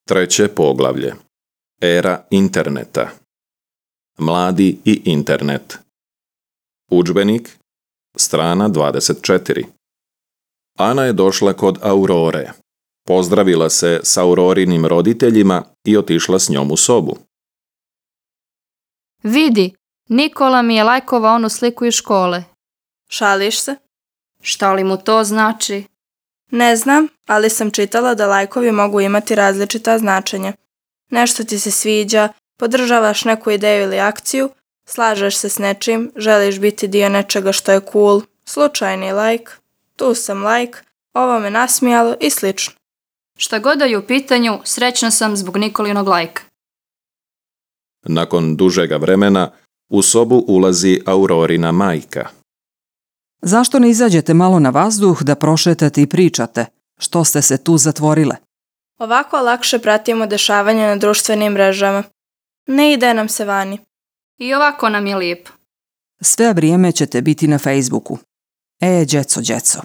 Treće poglavlje. Era interneta. Mladi i internet. Udžbenik, strana 24. Ana je došla kod Aurore. Pozdravila se s Aurorinim roditeljima i otišla s njom u sobu. Vidi, Nikola mi je lajkovao onu sliku iz škole. Šališ se? Šta li mu to znači? Ne znam, ali sam čitala da lajkovi mogu imati različita značenja. Nešto ti se sviđa, podržavaš neku ideju ili akciju, slažeš se s nečim, želiš biti dio nečega što je cool, slučajni lajk, tu sam lajk, ovo me nasmijalo i slično. Šta god da je u pitanju, srećna sam zbog Nikolinog lajka. Nakon dužega vremena, u sobu ulazi Aurorina majka. Zašto ne izađete malo na vazduh da prošetate i pričate? Što ste se tu zatvorile? Ovako lakše pratimo dešavanja na društvenim mrežama. Ne ide nam se vani. I ovako nam je lijepo. Sve vrijeme ćete biti na Facebooku. Djeco.